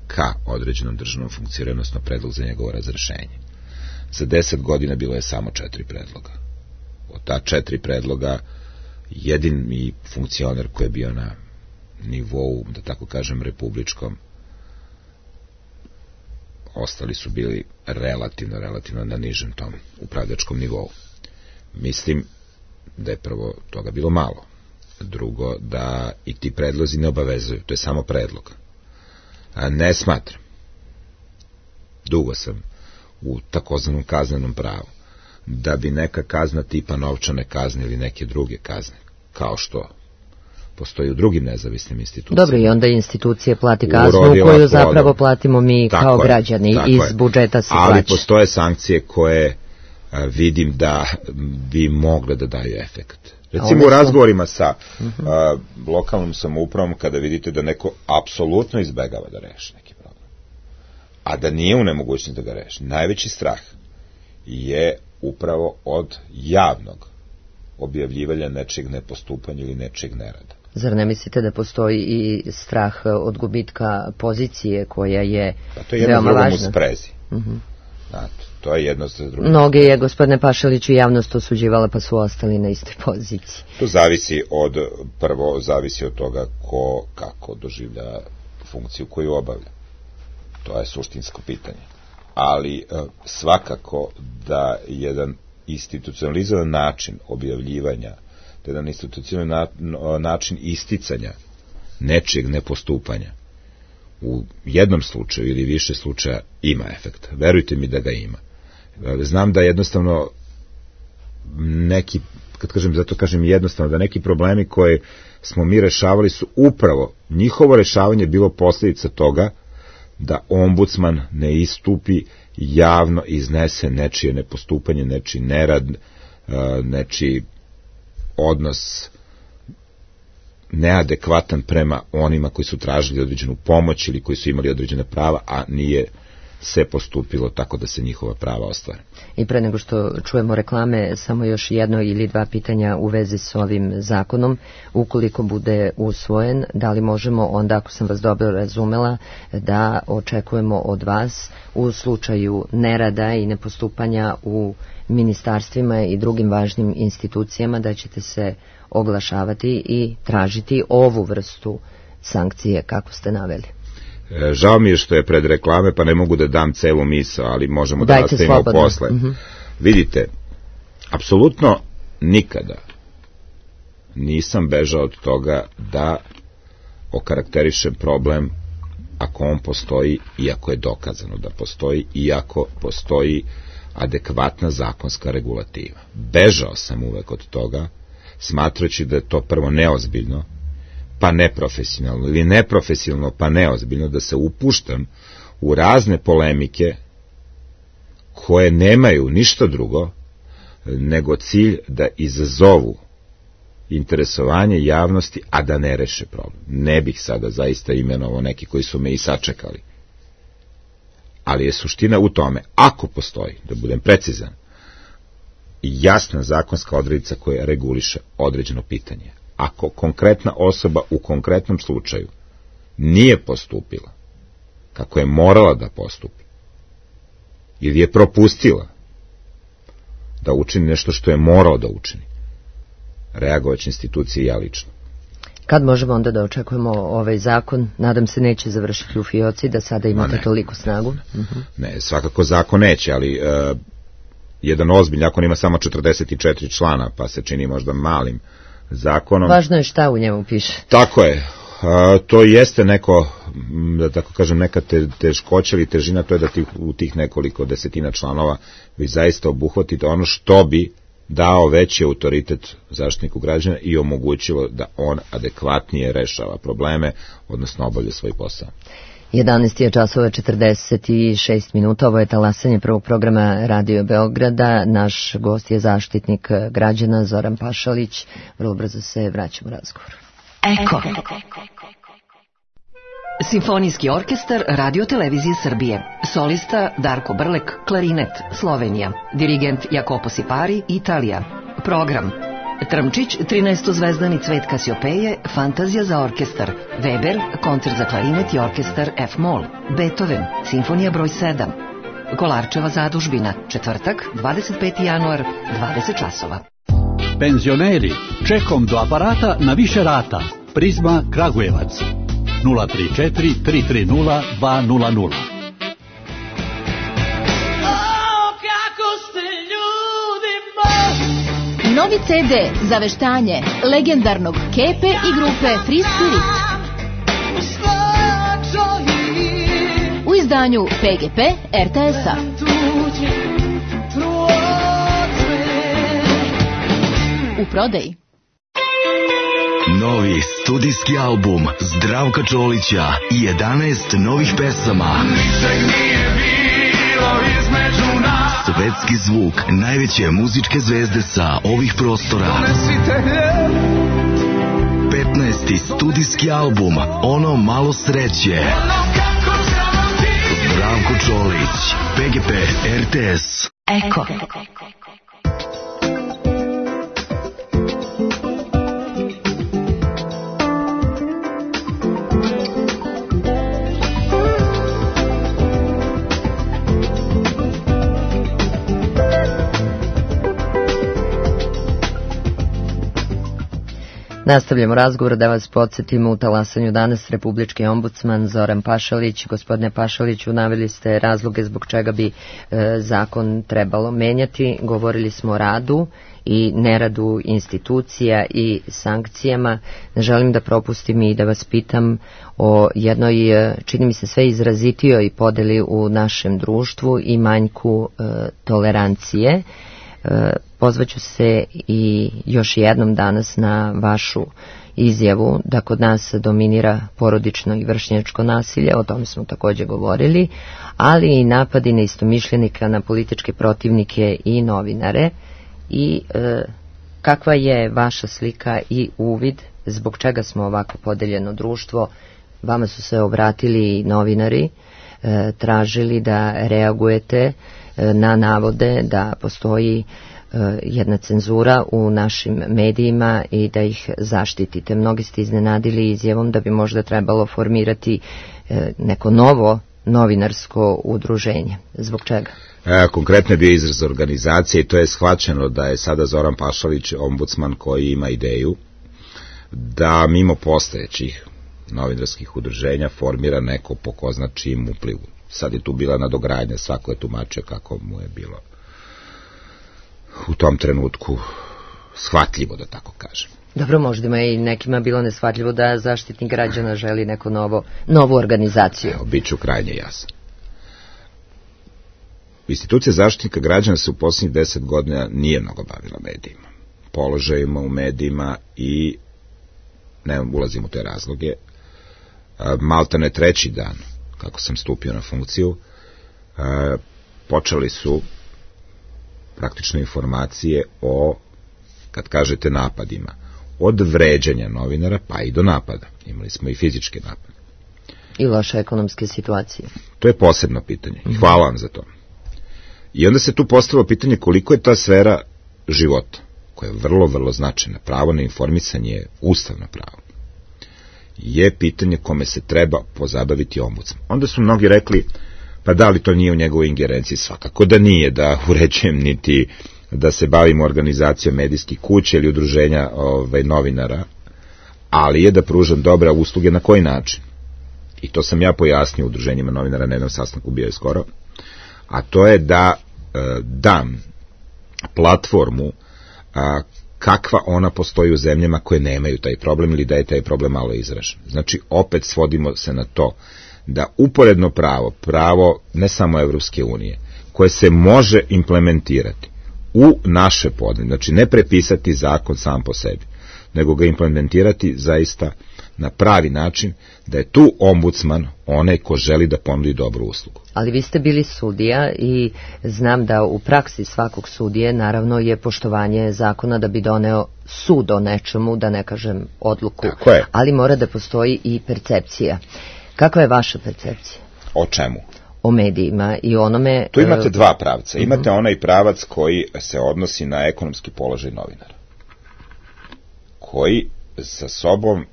ka određenom državnom funkcioniranju, odnosno predlog za njegovo razrešenje. Za deset godina bilo je samo četiri predloga. Od ta četiri predloga jedini funkcioner koji je bio na nivou, da tako kažem, republičkom, ostali su bili relativno, relativno na nižem tom upravljačkom nivou. Mislim da je prvo toga bilo malo. Drugo, da i ti predlozi ne obavezuju, to je samo predlog. A ne smatram, dugo sam u takozvanom kaznenom pravu, da bi neka kazna tipa novčane kazne ili neke druge kazne, kao što postoji u drugim nezavisnim institucijama. Dobro, i onda institucije plati kaznu koju zapravo platimo mi kao građani iz budžeta se plaća. Ali postoje sankcije koje a, vidim da bi mogle da daju efekt. Recimo u razgovorima sa a, lokalnom samoupravom, kada vidite da neko apsolutno izbegava da reši neki problem, a da nije u nemogućnosti da ga reši, najveći strah je upravo od javnog objavljivanja nečeg nepostupanja ili nečeg nerada. Zar ne mislite da postoji i strah od gubitka pozicije koja je veoma važna? Pa to je jedno s drugom u sprezi. Uh-huh. Znate, to je jedno s drugom. Mnoge je, gospodine Pašalić, i javnost osuđivala, pa su ostali na istoj poziciji. To zavisi od, prvo, zavisi od toga ko, kako doživlja funkciju koju obavlja. To je suštinsko pitanje. Ali svakako da jedan institucionalizovan način objavljivanja, da jedan institucionalni način isticanja nečijeg nepostupanja u jednom slučaju ili više slučaja ima efekta. Verujte mi da ga ima. Znam da jednostavno neki, kad kažem, zato kažem jednostavno, da neki problemi koje smo mi rešavali su upravo, njihovo rešavanje bilo posljedica toga da ombudsman ne istupi javno, iznese nečije nepostupanje, nečiji nerad, nečiji odnos neadekvatan prema onima koji su tražili određenu pomoć ili koji su imali određene prava, a nije se postupilo tako da se njihova prava ostvare. I pre nego što čujemo reklame, samo još jedno ili dva pitanja u vezi s ovim zakonom. Ukoliko bude usvojen, da li možemo onda, ako sam vas dobro razumela, da očekujemo od vas u slučaju nerada i nepostupanja u ministarstvima i drugim važnim institucijama da ćete se oglašavati i tražiti ovu vrstu sankcije kako ste naveli? Žao mi je što je pred reklame, pa ne mogu da dam celu misao, ali možemo da nastavimo posle. Uh-huh. Vidite, apsolutno nikada nisam bežao od toga da okarakterišem problem ako on postoji i ako je dokazano da postoji i ako postoji adekvatna zakonska regulativa. Bežao sam uvek od toga, smatrajući da je to prvo neozbiljno, pa neprofesionalno, ili neprofesionalno pa neozbiljno, da se upuštam u razne polemike koje nemaju ništa drugo nego cilj da izazovu interesovanje javnosti, a da ne reše problem. Ne bih sada zaista imenovao neki koji su me i sačekali. ali je suština u tome, ako postoji, da budem precizan, jasna zakonska odrednica koja reguliše određeno pitanje. Ako konkretna osoba u konkretnom slučaju nije postupila kako je morala da postupi, ili je propustila da učini nešto što je morao da učini, reagovaće institucije i ja lično. Kad možemo onda da očekujemo ovaj zakon? Nadam se neće završiti u fioci, da sada imate toliko snagu. Uh-huh. Ne, svakako zakon neće, ali uh, jedan ozbiljan zakon ima samo četrdeset četiri člana, pa se čini možda malim zakonom. Važno je šta u njemu piše. Tako je. Uh, to jeste neko, da tako kažem, neka te, teškoća ili težina, to je da ti, u tih nekoliko desetina članova vi zaista obuhvatite ono što bi dao veći autoritet zaštitniku građana i omogućilo da on adekvatnije rešava probleme, odnosno obavlja svoj posao. jedanaest je časova četrdeset šest minuta, ovo je talasanje prvog programa Radio Beograda. Naš gost je zaštitnik građana Zoran Pašalić. Vrlo brzo se vraćamo u razgovor. Eko. Simfonijski orkestar Radio Televizije Srbije. Solista Darko Brlek, klarinet, Slovenija. Dirigent Jacopo Sipari, Italija. Program: Trmčić, trinaestozvezdani Cvet Kasiopeje, Fantazija za orkestar. Weber, koncert za klarinet i orkestar F-moll. Beethoven, Simfonija broj sedam. Kolarčeva zadužbina, četvrtak, dvadeset peti januar, dvadeset časova. Penzioneri, čekom do aparata na više rata. Prizma Kragujevac. nula tri četiri tri tri nula dva nula nula. Novi ce de za veštanje legendarnog Kepe i grupe Free Spirit. U izdanju P G P R T S-a. U prodaji. Novi studijski album Zdravka Čolića i jedanaest novih pesama. Svetski zvuk najveće muzičke zvezde sa ovih prostora. petnaesti studijski album Ono malo sreće. Zdravko Čolić, P G P R T S. Eko. Nastavljamo razgovor, da vas podsjetimo, u talasanju danas republički ombudsman Zoran Pašalić. Gospodine Pašaliću, naveli ste razloge zbog čega bi e, zakon trebalo menjati. Govorili smo o radu i neradu institucija i sankcijama. Ne želim da propustim i da vas pitam o jednoj, čini mi se, sve izrazitijoj podeli u našem društvu i manjku e, tolerancije. Pozvaću se i još jednom danas na vašu izjavu da kod nas dominira porodično i vršnjačko nasilje, o tome smo također govorili, ali i napadi na istomišljenika, na političke protivnike i novinare. I e, kakva je vaša slika i uvid, zbog čega smo ovako podeljeno društvo? Vama su se obratili i novinari, e, tražili da reagujete na navode da postoji jedna cenzura u našim medijima i da ih zaštitite. Mnogi ste iznenadili izjavom da bi možda trebalo formirati neko novo novinarsko udruženje. Zbog čega? E, konkretno je bio izraz organizacije i to je shvaćeno da je sada Zoran Pašalić ombudsman koji ima ideju da mimo postojećih novinarskih udruženja formira neko po ko zna čijim uplivu. Sad je tu bila nadogradnja, svako je tumačio kako mu je bilo u tom trenutku shvatljivo, da tako kažem. Dobro, možda je i nekima bilo neshvatljivo da zaštitnik građana želi neku novo, novu organizaciju. Evo, bit ću krajnje jasan. Institucija zaštitnika građana se u posljednjih deset godina nije mnogo bavila medijima, položajima u medijima i ne ulazim u te razloge. Maltene treći dan kako sam stupio na funkciju, e, počeli su praktično informacije o, kad kažete napadima, od vređanja novinara pa i do napada. Imali smo i fizičke napade. I loše ekonomske situacije. To je posebno pitanje. Hvala vam za to. I onda se tu postavilo pitanje koliko je ta sfera života, koja je vrlo, vrlo značajna. Pravo na informisanje je ustavno pravo. Je pitanje kome se treba pozabaviti ombudsman. Onda su mnogi rekli, pa da li to nije u njegovoj ingerenciji? Svakako da nije, da uređujem niti da se bavimo organizacijom medijskih kuća ili udruženja ovaj, novinara, ali je da pružam dobre usluge. Na koji način? I to sam ja pojasnio udruženjima novinara na jednom sastanku, bio je skoro, a to je da e, dam platformu a, kakva ona postoji u zemljama koje nemaju taj problem ili da je taj problem malo izražen. Znači, opet svodimo se na to da uporedno pravo, pravo ne samo Evropske unije, koje se može implementirati u naše podne, znači ne prepisati zakon sam po sebi, nego ga implementirati zaista na pravi način, da je tu ombudsman onaj ko želi da ponudi dobru uslugu. Ali vi ste bili sudija i znam da u praksi svakog sudije naravno je poštovanje zakona da bi doneo sud o nečemu, da ne kažem odluku, ali mora da postoji i percepcija. Kakva je vaša percepcija? O čemu? O medijima i onome... Tu imate dva pravca. Imate uh-huh. onaj pravac koji se odnosi na ekonomski položaj novinara, koji sa sobom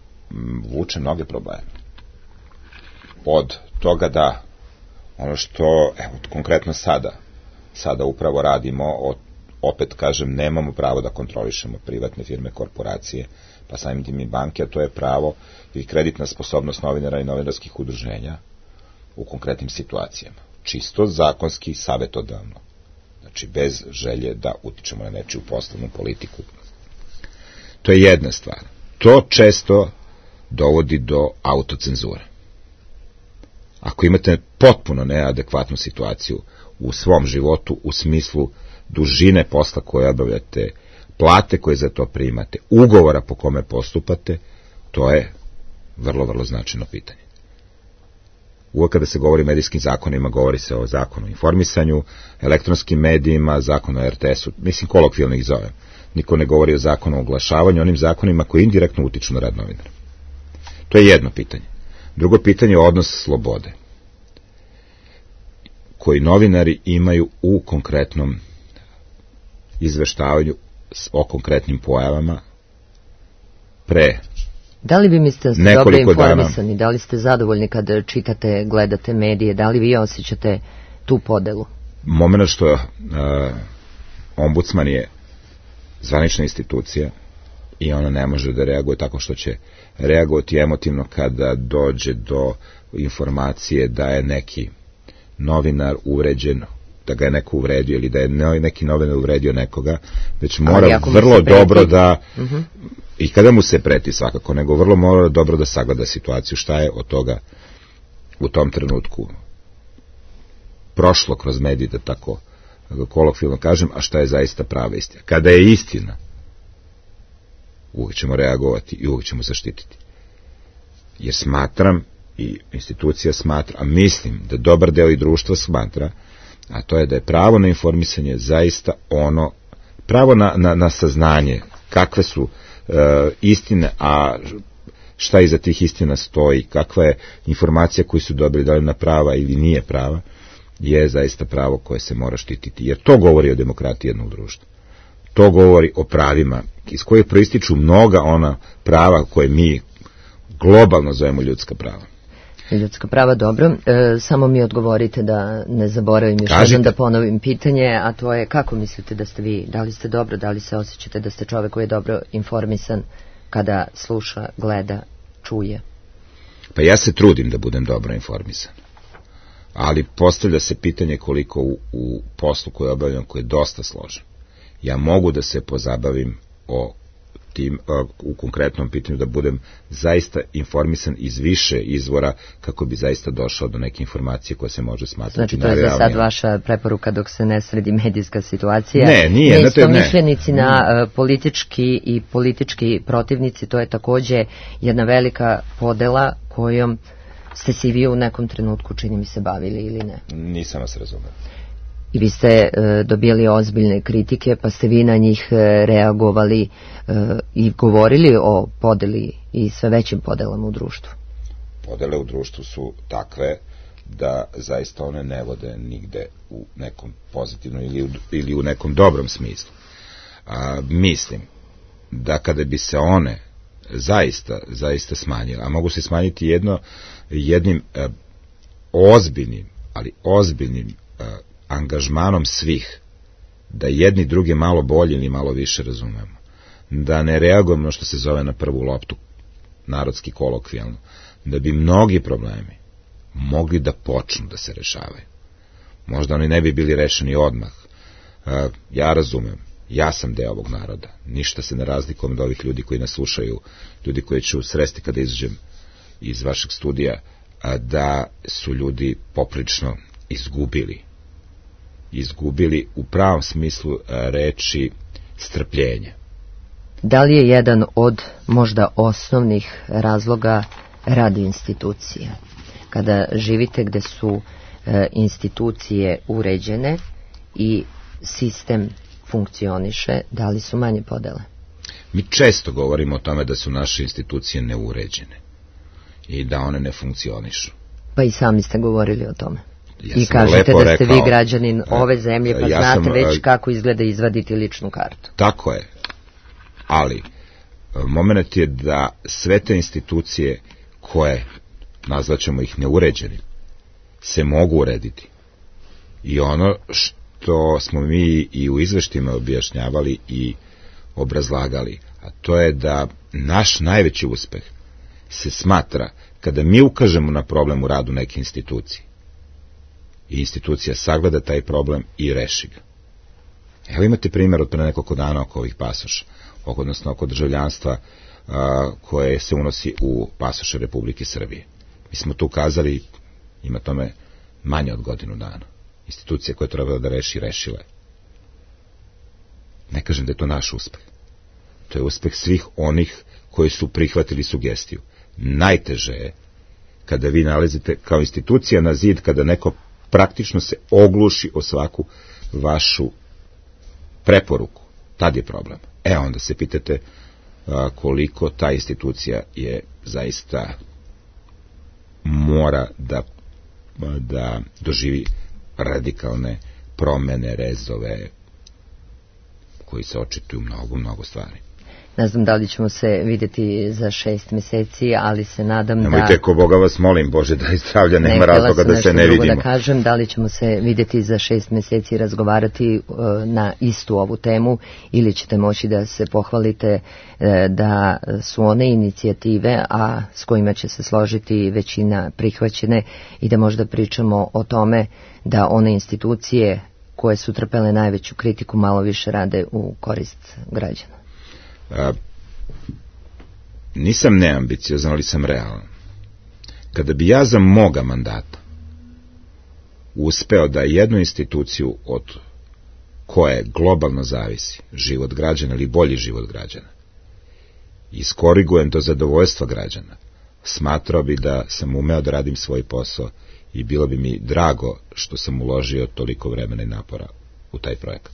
vuče mnoge probleme. Od toga da ono što, evo, konkretno sada, sada upravo radimo, od, opet kažem, nemamo pravo da kontrolišemo privatne firme, korporacije, pa samim tim i banke, a to je pravo i kreditna sposobnost novinara i novinarskih udruženja u konkretnim situacijama. Čisto zakonski, savjetodavno. Znači, bez želje da utičemo na nečiju poslovnu politiku. To je jedna stvar. To često dovodi do autocenzure. Ako imate potpuno neadekvatnu situaciju u svom životu, u smislu dužine posla koje obavljate, plate koje za to primate, ugovora po kome postupate, to je vrlo, vrlo značajno pitanje. Uvijek kada se govori o medijskim zakonima, govori se o zakonu o informisanju, elektronskim medijima, zakonu o er te esu, mislim kolokvijalno ih zovem. Niko ne govori o zakonu o oglašavanju, onim zakonima koji indirektno utiču na rad novinara. To je jedno pitanje. Drugo pitanje je odnos slobode, koji novinari imaju u konkretnom izveštavanju o konkretnim pojavama pre Da li vi mislite da ste dobro informisani, da li ste zadovoljni kad čitate, gledate medije, da li vi osjećate tu podelu? Moment što uh, ombudsman je zvanična institucija i ona ne može da reaguje tako što će reagovati emotivno kada dođe do informacije da je neki novinar uvređen, da ga je neko uvredio ili da je neki novinar uvredio nekoga, već mora vrlo dobro da, uh-huh. i kada mu se preti svakako, nego vrlo mora dobro da sagleda situaciju, šta je od toga u tom trenutku prošlo kroz medije, da tako kolokvijalno kažem, a šta je zaista prava istina. Kada je istina, uvijek ćemo reagovati i uvijek ćemo zaštititi. Jer smatram, i institucija smatra, a mislim da dobar deo i društva smatra, a to je da je pravo na informisanje zaista ono, pravo na, na, na saznanje kakve su e, istine, a šta iza tih istina stoji, kakva je informacija koju su dobili, da li na prava ili nije prava, je zaista pravo koje se mora štititi. Jer to govori o demokratiji jednog društva. To govori o pravima iz kojih proističu mnoga ona prava koje mi globalno zovemo ljudska prava. Ljudska prava, dobro. E, samo mi odgovorite da ne zaboravim još jednom da ponovim pitanje, a to je kako mislite da ste vi, da li ste dobro, da li se osjećate da ste čovek koji je dobro informisan kada sluša, gleda, čuje? Pa ja se trudim da budem dobro informisan. Ali postavlja se pitanje koliko u, u poslu koji obavljam, koji je dosta složen. Ja mogu da se pozabavim o tim, u konkretnom pitanju, da budem zaista informisan iz više izvora kako bi zaista došao do neke informacije koje se može smatrati. Znači to je za sad vaša preporuka dok se ne sredi medijska situacija. Ne, nije. Neistomišljenici na uh, politički i politički protivnici, to je takođe jedna velika podela kojom ste se i vi u nekom trenutku, čini mi se, bavili ili ne? Nisam vas razumeo. I vi ste e, dobijali ozbiljne kritike, pa ste vi na njih e, reagovali e, i govorili o podeli i sve većim podelama u društvu. podele u društvu su takve da zaista one ne vode nigde u nekom pozitivnom ili u, ili u nekom dobrom smislu. A, mislim da kada bi se one zaista, zaista smanjile, a mogu se smanjiti jedno, jednim a, ozbiljnim, ali ozbiljnim a, angažmanom svih, da jedni druge malo bolje ili malo više razumemo, da ne reagujemo na što se zove na prvu loptu, narodski kolokvijalno, da bi mnogi problemi mogli da počnu da se rešavaju. Možda oni ne bi bili rešeni odmah. Ja razumem, ja sam deo ovog naroda, ništa se ne razlikujem od ovih ljudi koji nas slušaju, ljudi koji ću sresti kada izađem iz vašeg studija, da su ljudi poprično izgubili izgubili u pravom smislu reči strpljenja. Da li je jedan od možda osnovnih razloga rad institucija? Kada živite gde su e, institucije uređene i sistem funkcioniše, da li su manje podele? Mi često govorimo o tome da su naše institucije neuređene i da one ne funkcionišu. Pa i sami ste govorili o tome. Ja I kažete da ste rekao, vi građanin ove zemlje, pa ja znate sam, već kako izgleda izvaditi ličnu kartu. Tako je, ali moment je da sve te institucije koje, nazvaćemo ih neuređenim, se mogu urediti. I ono što smo mi i u izveštima objašnjavali i obrazlagali, a to je da naš najveći uspeh se smatra kada mi ukažemo na problem u radu neke institucije. I institucija sagleda taj problem i reši ga. Evo imate primjer od pre nekoliko dana oko ovih pasoša, odnosno oko državljanstva a, koje se unosi u pasoše Republike Srbije. Mi smo tu ukazali, ima tome manje od godinu dana. Institucija koja je trebala da reši, rešila je. Ne kažem da je to naš uspeh. To je uspeh svih onih koji su prihvatili sugestiju. Najteže je kada vi nalazite kao institucija na zid, kada neko praktično se ogluši o svaku vašu preporuku. Tad je problem. E, onda se pitate a, koliko ta institucija je zaista mora da, da doživi radikalne promene, rezove, koji se očituju mnogo, mnogo stvari. Ne znam da li ćemo se vidjeti za šest meseci, ali se nadam Nemojte, da... Nemojte, ko Boga vas molim, Bože, da izdravlja, nema razloga da se ne vidimo. Da kažem, da li ćemo se vidjeti za šest meseci i razgovarati uh, na istu ovu temu, ili ćete moći da se pohvalite uh, da su one inicijative, a s kojima će se složiti većina prihvaćene, i da možda pričamo o tome da one institucije koje su trpele najveću kritiku malo više rade u korist građana. A, nisam neambiciozan, ali sam realan. Kada bi ja za moga mandata uspeo da jednu instituciju od koje globalno zavisi život građana ili bolji život građana iskorigujem do zadovoljstva građana, smatrao bi da sam umeo da radim svoj posao i bilo bi mi drago što sam uložio toliko vremena i napora u taj projekat.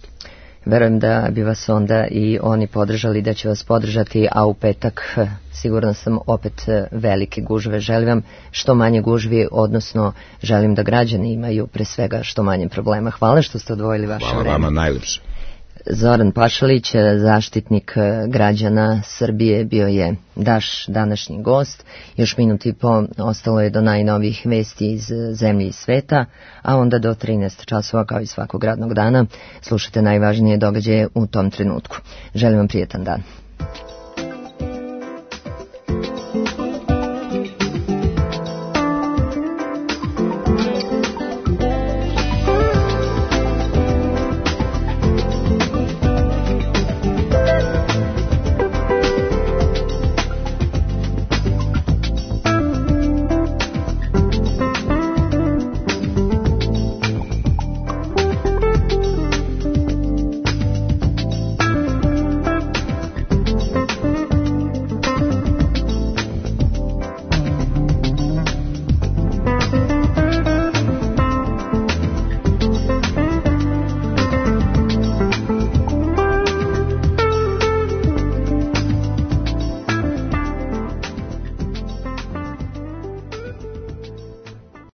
Verujem da bi vas onda i oni podržali, da će vas podržati, a u petak sigurno sam opet velike gužve. Želim vam što manje gužvi, odnosno želim da građani imaju pre svega što manje problema. Hvala što ste odvojili vaše Hvala vreme. Hvala vama najlepše. Zoran Pašalić, zaštitnik građana Srbije, bio je naš današnji gost. Još minut i po ostalo je do najnovijih vesti iz zemlje i sveta, a onda do trinaest časova, kao i svakog radnog dana, slušate najvažnije događaje u tom trenutku. Želim vam prijetan dan.